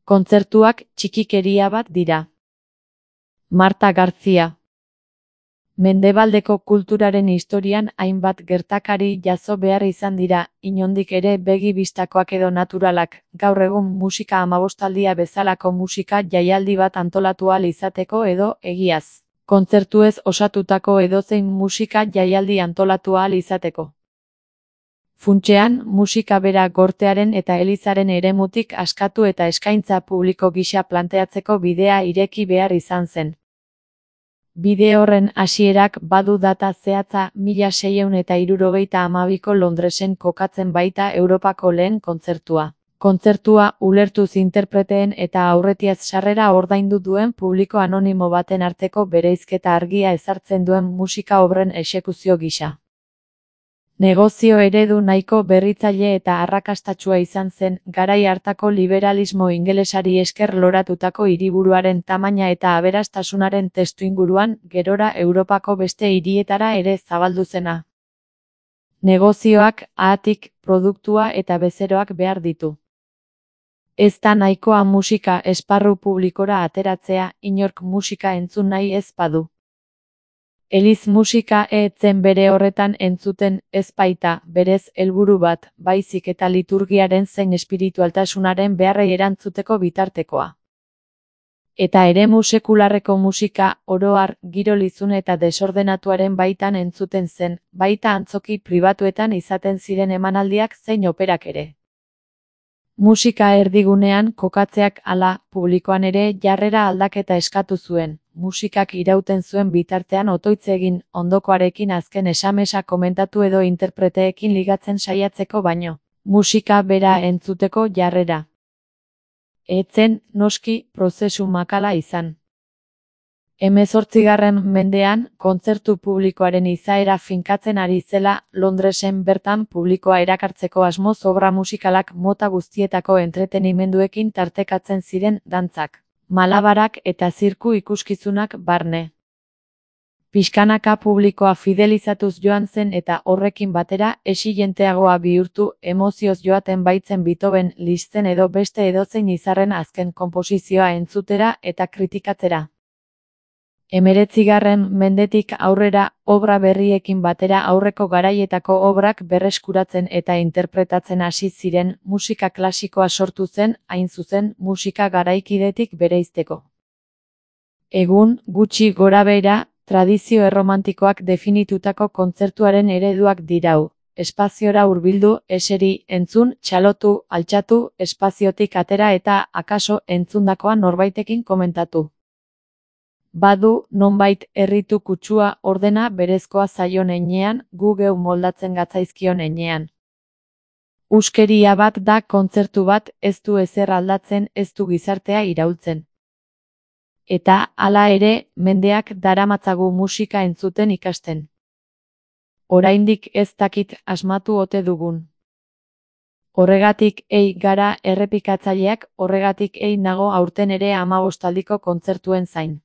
Kontzertuak txikikeria bat dira. Marta García. Mendebaldeko kulturaren historian hainbat gertakari jazo behar izan dira, inondik ere begi bistakoak edo naturalak, gaur egun musika amabostaldia bezalako musika jaialdi bat antolatu ahal izateko edo, egiaz, kontzertuez osatutako edozein musika jaialdi antolatu ahal izateko. Funtsean, musika bera gortearen eta elizaren eremutik askatu eta eskaintza publiko gisa planteatzeko bidea ireki behar izan zen. Bide horren hasierak badu data zehatza 1672ko Londresen kokatzen baita Europako lehen kontzertua. Kontzertua ulertuz interpreteen eta aurretiaz sarrera ordaindu duen publiko anonimo baten arteko bereizketa argia ezartzen duen musika obren exekuzio gisa. Negozio eredu nahiko berritzaile eta arrakastatsua izan zen, garai hartako liberalismo ingelesari esker loratutako hiriburuaren tamaina eta aberastasunaren testuinguruan, gerora Europako beste hirietara ere zabaldu zena. Negozioak, haatik, produktua eta bezeroak behar ditu. Ez da nahikoa musika esparru publikora ateratzea, inork musika entzun nahi ez badu. Eliz musika etzen bere horretan entzuten ez baita, berez helburu bat, baizik eta liturgiaren zein espiritualtasunaren beharrei erantzuteko bitartekoa. Eta eremu sekularreko musika, oro har, giro lizun eta desordenatuaren baitan entzuten zen, baita antzoki pribatuetan izaten ziren emanaldiak zein operak ere. Musika erdigunean kokatzeak hala, publikoan ere jarrera aldaketa eskatu zuen. Musikak irauten zuen bitartean otoitz egin, ondokoarekin azken esamesa komentatu edo interpreteekin ligatzen saiatzeko baino, musika bera entzuteko jarrera. Etzen, noski, prozesu makala izan. 18. mendean, kontzertu publikoaren izaera finkatzen ari zela, Londresen bertan publikoa erakartzeko asmoz obra musikalak mota guztietako entretenimenduekin tartekatzen ziren dantzak, malabarak eta zirku ikuskizunak barne. Pixkanaka publikoa fidelizatuz joan zen eta horrekin batera exigenteenagoa bihurtu, emozioz joaten baitzen Beethoven, Liszten edo beste edozein izarren azken konposizioa entzutera eta kritikatzera. 19. mendetik aurrera, obra berriekin batera aurreko garaietako obrak berreskuratzen eta interpretatzen hasi ziren, musika klasikoa sortu zen, hain zuzen, musika garaikidetik bereizteko. Egun, gutxi gorabehera, tradizio erromantikoak definitutako kontzertuaren ereduak dirau. Espaziora hurbildu, eseri, entzun, txalotu, altxatu, espaziotik atera eta, akaso, entzundakoa norbaitekin komentatu. Badu, nonbait, erritu kutsua, ordena berezkoa zaion heinean, gu geu moldatzen gatzaizkion heinean. Huskeria bat da kontzertu bat, ez du ezer aldatzen, ez du gizartea iraultzen. Eta, hala ere, mendeak daramatzagu musika entzuten ikasten. Oraindik ez dakit asmatu ote dugun. Horregatik ei gara errepikatzaileak, horregatik ei nago aurten ere 15aldiko kontzertuen zain.